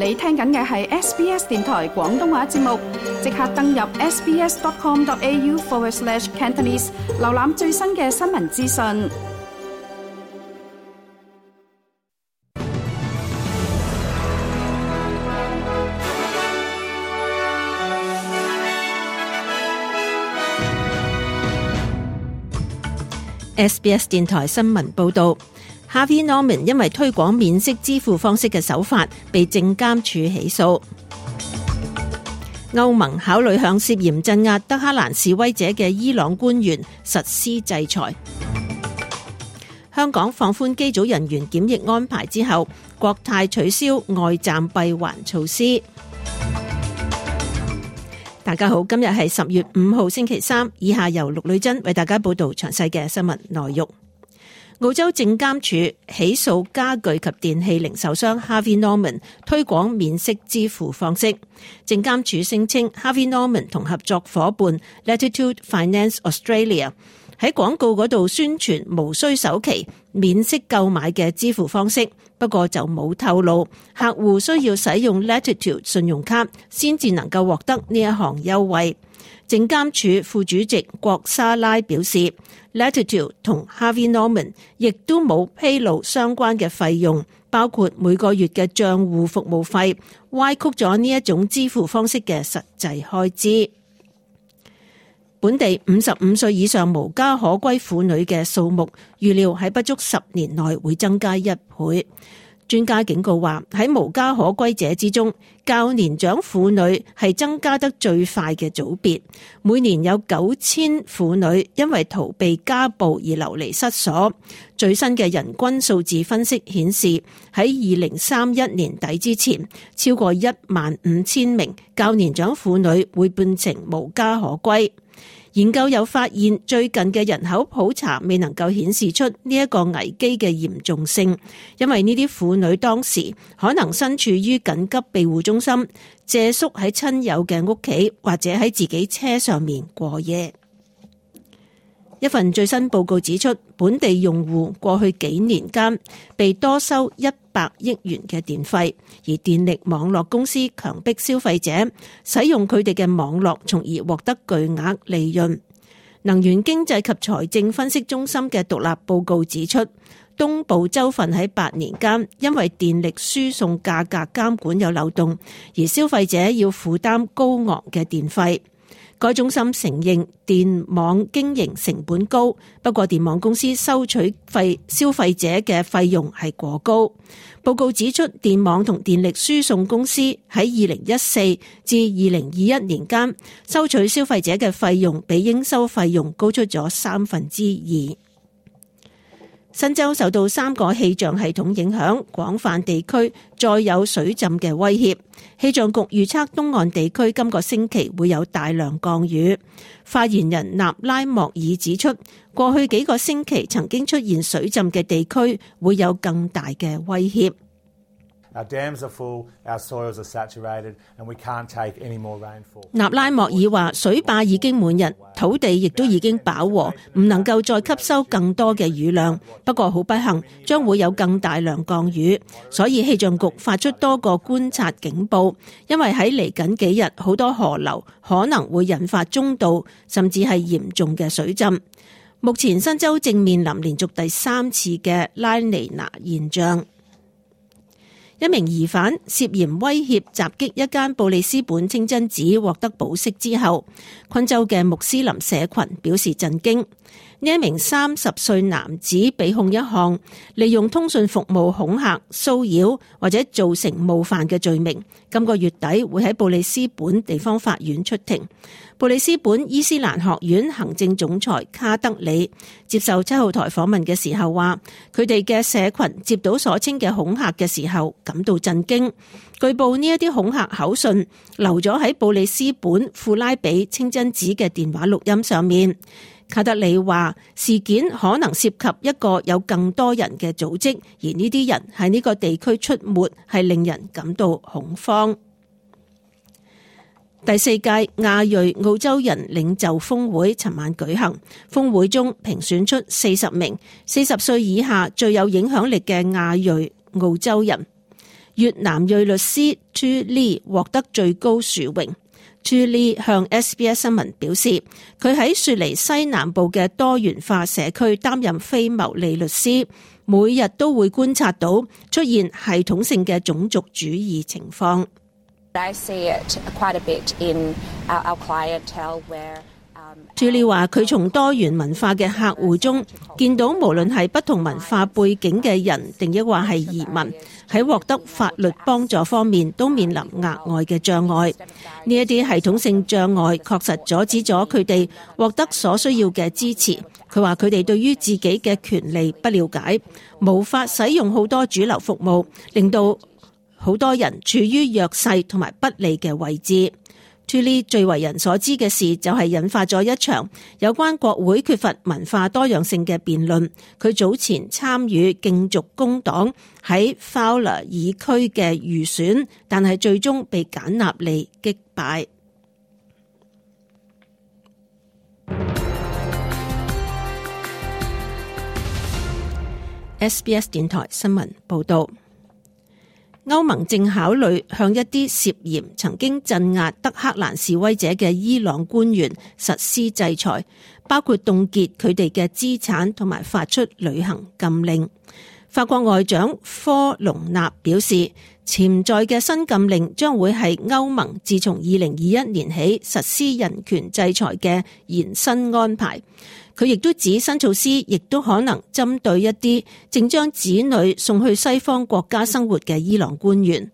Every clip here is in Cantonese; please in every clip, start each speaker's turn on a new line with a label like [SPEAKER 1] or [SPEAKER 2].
[SPEAKER 1] 你聽緊嘅係 SBS 電台廣東話節目，即刻登入 sbs.com.au/Cantonese 瀏覽最新嘅新聞資訊。
[SPEAKER 2] SBS 電台新聞報導。Harvey Norman 因為推廣免息支付方式嘅手法被證監處起訴。歐盟考慮向涉嫌鎮壓德黑蘭示威者嘅伊朗官員實施制裁。香港放寬機組人員檢疫安排之後，國泰取消外站閉環措施。大家好，今日係10月5號星期三，以下由陸女珍為大家報道詳細嘅新聞內容。澳洲證監處起訴家具及電器零售商 Harvey Norman 推廣免息支付方式。證監處聲稱 Harvey Norman 同合作夥伴 Latitude Finance Australia 喺廣告嗰度宣傳無需首期免息購買嘅支付方式，不過就冇透露客戶需要使用 Latitude 信用卡先至能夠獲得呢一項優惠。證監處副主席郭莎拉表示 Latitude 同 Harvey Norman 亦都冇披露相關嘅費用，包括每個月嘅賬戶服務費，歪曲咗呢一種支付方式嘅實際開支。本地55歲以上無家可歸婦女嘅數目預料喺不足10年內會增加1倍。專家警告話，喺無家可歸者之中，較年長婦女係增加得最快嘅組別。每年有9000婦女因為逃避家暴而流離失所。最新嘅人均數字分析顯示，喺2031年底之前，超過15000名較年長婦女會變成無家可歸。研究又發現，最近嘅人口普查未能夠顯示出呢一個危機嘅嚴重性，因為呢啲婦女當時可能身處於緊急庇護中心，借宿喺親友嘅屋企，或者喺自己車上面過夜。一份最新報告指出，本地用戶過去幾年間被多收100億元嘅電費，而電力網絡公司強迫消費者使用佢哋嘅網絡，從而獲得巨額利潤。能源經濟及財政分析中心嘅獨立報告指出，東部州份喺8年間因為電力輸送價格監管有漏洞，而消費者要負擔高昂嘅電費。該中心承認電網經營成本高，不過電網公司收取消費者嘅費用係過高。報告指出，電網同電力輸送公司喺2014至2021年間收取消費者嘅費用比應收費用高出咗2/3。新州受到3個氣象系統影響，廣泛地區再有水浸嘅威脅。氣象局預測東岸地區今個星期會有大量降雨。發言人納拉莫爾指出，過去幾個星期曾經出現水浸嘅地區會有更大嘅威脅。
[SPEAKER 3] Our dams are full, our soils are saturated, and we can't take any more rainfall.
[SPEAKER 2] 納拉莫爾話：水壩已經滿溢，土地亦都已經飽和，唔能夠再吸收更多嘅雨量。不過好不幸，將會有更大量降雨，所以氣象局發出多個觀察警報，因為喺嚟緊幾日，好多河流可能會引發中度甚至係嚴重嘅水浸。目前新州正面臨連續第3次嘅拉尼娜現象。一名疑犯涉嫌威脅襲擊一間布里斯本清真寺獲得保釋之後，昆州嘅穆斯林社群表示震驚。呢一名30歲男子被控一項利用通訊服務恐嚇、騷擾或者造成冒犯嘅罪名，今個月底會喺布里斯本地方法院出庭。布里斯本伊斯蘭學院行政總裁卡德里接受7號台訪問嘅時候話，佢哋嘅社群接到所稱嘅恐嚇嘅時候感到震驚。據報呢一啲恐嚇口訊留咗喺布里斯本富拉比清真寺嘅電話錄音上面。卡德里話，事件可能涉及一個有更多人嘅組織，而呢啲人喺呢個地區出沒係令人感到恐慌。第4屆亞裔澳洲人領袖峰會尋晚舉行，峰會中評選出40名40歲以下最有影響力嘅亞裔澳洲人。越南裔律師 Thu Lee 獲得最高殊榮。Thu Lee 向 SBS 新聞表示，佢喺雪梨西南部嘅多元化社區擔任非牟利律師，每日都會觀察到出現系統性嘅種族主義情況。
[SPEAKER 4] I see it quite a bit in our clientele where
[SPEAKER 2] Thu Lee話：佢從多元文化嘅客戶中見到，無論係不同文化背景嘅人，定抑或係移民，喺獲得法律幫助方面都面臨額外嘅障礙。呢一啲系統性障礙確實阻止咗佢哋獲得所需要嘅支持。佢話佢哋對於自己嘅權利不了解，無法使用好多主流服務，令到好多人處於弱勢同埋不利嘅位置。Thu Lee 最為人所知嘅事就係引發咗一場有關國會缺乏文化多樣性嘅辯論。佢早前參與競逐工黨喺 Fowler 議區嘅預選，但係最終被簡納利擊敗。SBS 電台新聞報道。歐盟正考慮向一啲涉嫌曾經鎮壓德黑蘭示威者嘅伊朗官員實施制裁，包括凍結佢哋嘅資產同埋發出旅行禁令。法國外長科隆納表示，潛在嘅新禁令將會係歐盟自從2021年起實施人權制裁嘅延伸安排。佢亦都指新措施亦都可能針對一啲正將子女送去西方國家生活嘅伊朗官員。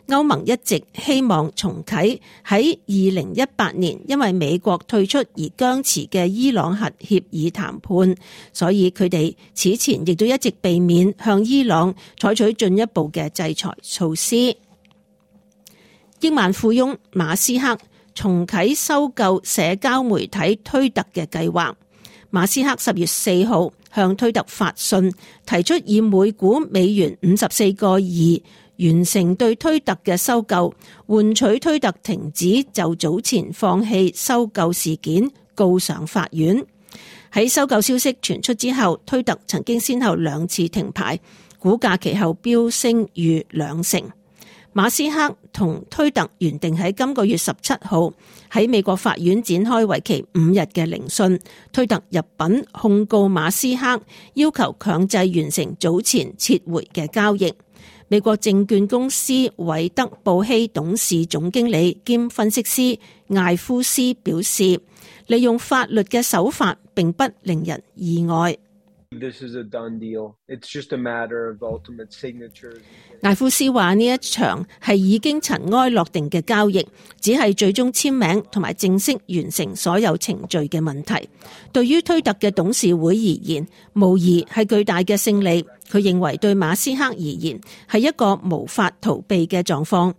[SPEAKER 2] 歐盟一直希望重啟喺2018年因為美國退出而僵持嘅伊朗核協議談判，所以佢哋此前亦都一直避免向伊朗採取進一步嘅制裁措施。億萬富翁馬斯克重啟收購社交媒體推特嘅計劃。馬斯克10月4號向推特發信，提出以每股美元54個2完成對推特嘅收購，換取推特停止就早前放棄收購事件告上法院。喺收購消息傳出之後，推特曾經先後2次停牌，股價其後飆升逾20%。馬斯克同推特原定喺今個月17號喺美國法院展開為期5日嘅聆訊，推特入稟控告馬斯克，要求強制完成早前撤回嘅交易。美國證券公司韋德布希董事總經理兼分析師艾夫斯表示，利用法律嘅手法並不令人意外。
[SPEAKER 5] This is a done deal. It's just a matter of ultimate signatures.
[SPEAKER 2] 艾夫斯話呢一場係已經塵埃落定嘅交易，只係最終簽名同埋正式完成所有程序嘅問題。對於推特嘅董事會而言，無疑係巨大嘅勝利。佢認為對馬斯克而言係一個無法逃避嘅狀況。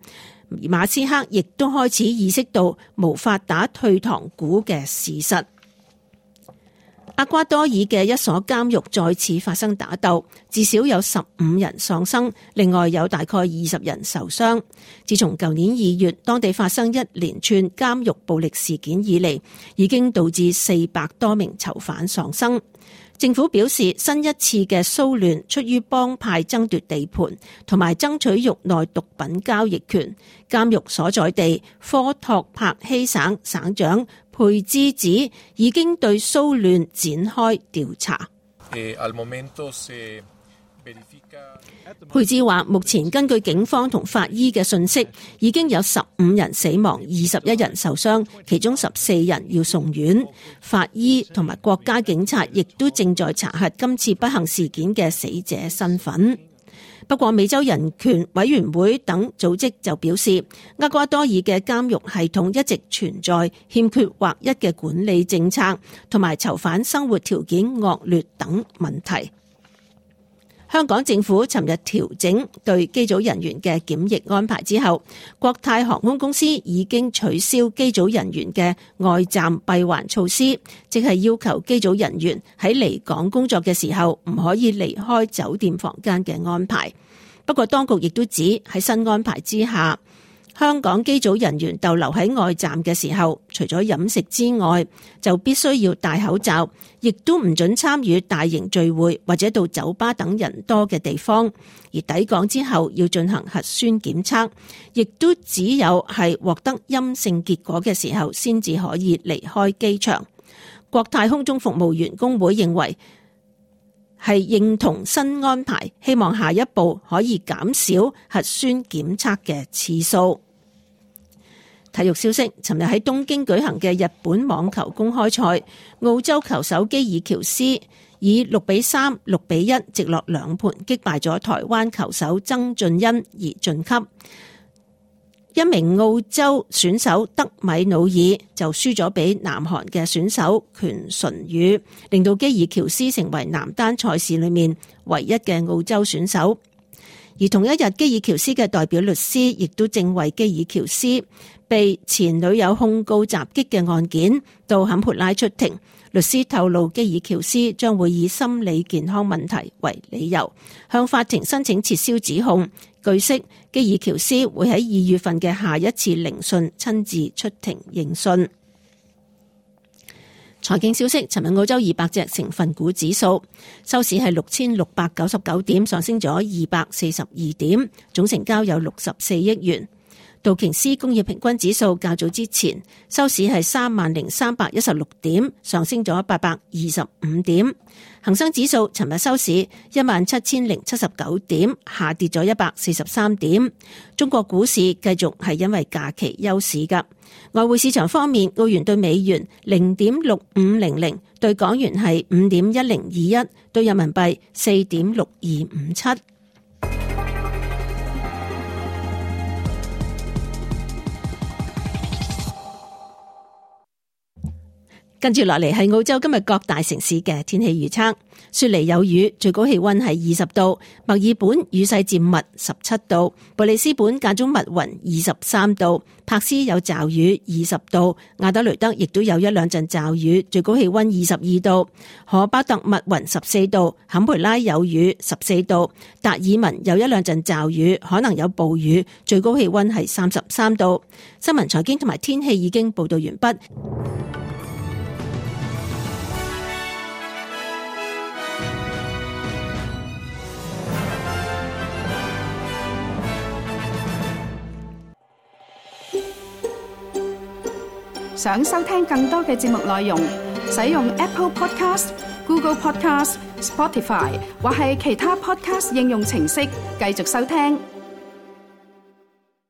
[SPEAKER 2] 而馬斯克亦都開始意識到無法打退堂鼓嘅事實。厄瓜多爾嘅一所監獄再次發生打鬥，至少有15人喪生，另外有大概20人受傷。自從舊年2月當地發生一連串監獄暴力事件以嚟，已經導致400多名囚犯喪生。政府表示，新一次嘅騷亂出於幫派爭奪地盤同埋爭取獄內毒品交易權。監獄所在地科托帕希省省長佩茲指，已經對騷亂展開調查。佩茲話，目前根據警方同法醫嘅信息，已經有15人死亡，21人受傷，其中14人要送院。法醫同埋國家警察亦都正在查核今次不幸事件嘅死者身份。不過美洲人權委員會等組織就表示，厄瓜多爾嘅監獄系統一直存在欠缺劃一嘅管理政策，同埋囚犯生活條件惡劣等問題。香港政府尋日調整對機組人員嘅檢疫安排之後，國泰航空公司已經取消機組人員嘅外站閉環措施，即係要求機組人員喺離港工作嘅時候唔可以離開酒店房間嘅安排。不過當局亦都指喺新安排之下，香港機組人員逗留喺外站嘅時候，除咗飲食之外，就必須要戴口罩，亦都唔准參與大型聚會或者到酒吧等人多嘅地方。而抵港之後要進行核酸檢測，亦都只有係獲得陰性結果嘅時候先至可以離開機場。國泰空中服務員工會認為係認同新安排，希望下一步可以減少核酸檢測嘅次數。體育消息，尋日喺東京舉行嘅日本網球公開賽，澳洲球手基爾喬斯以6-3、6-1直落兩盤擊敗咗台灣球手曾俊欣而晉級。一名澳洲選手德米努爾就輸咗俾南韓嘅選手權純宇，令到基爾喬斯成為男單賽事裏面唯一嘅澳洲選手。而同一日，基爾喬斯嘅代表律師亦都正為基爾喬斯被前女友控告襲擊嘅案件到坎培拉出庭。律師透露，基爾喬斯將會以心理健康問題為理由，向法庭申請撤銷指控。據悉，基爾喬斯會喺2月份嘅下一次聆訊親自出庭應訊。財經消息，尋日澳洲200隻成分股指數收市係6699點，上升咗242點，總成交有64億元。道瓊斯工業平均指數較早之前收市係30316點，上升咗825點。恒生指數尋日收市17079點，下跌咗143點。中國股市繼續係因為假期休市㗎。外匯市場方面，澳元對美元0.6500，對港元係5.1021，對人民幣4.6257。跟住落嚟係澳洲今日各大城市嘅天氣預測。雪梨有雨，最高氣溫係20度；墨爾本雨勢漸密，17度；布里斯本間中密雲，23度；珀斯有驟雨，20度；亞德雷德亦都有一兩陣驟雨，最高氣溫22度；荷巴特密雲14度；坎培拉有雨14度；達爾文有一兩陣驟雨，可能有暴雨，最高氣溫係33度。新聞財經同埋天氣已經報道完畢。
[SPEAKER 1] 想收聽更多嘅節目內容，使用 Apple Podcast、Google Podcast、Spotify 或係其他 Podcast 應用程式繼續收聽。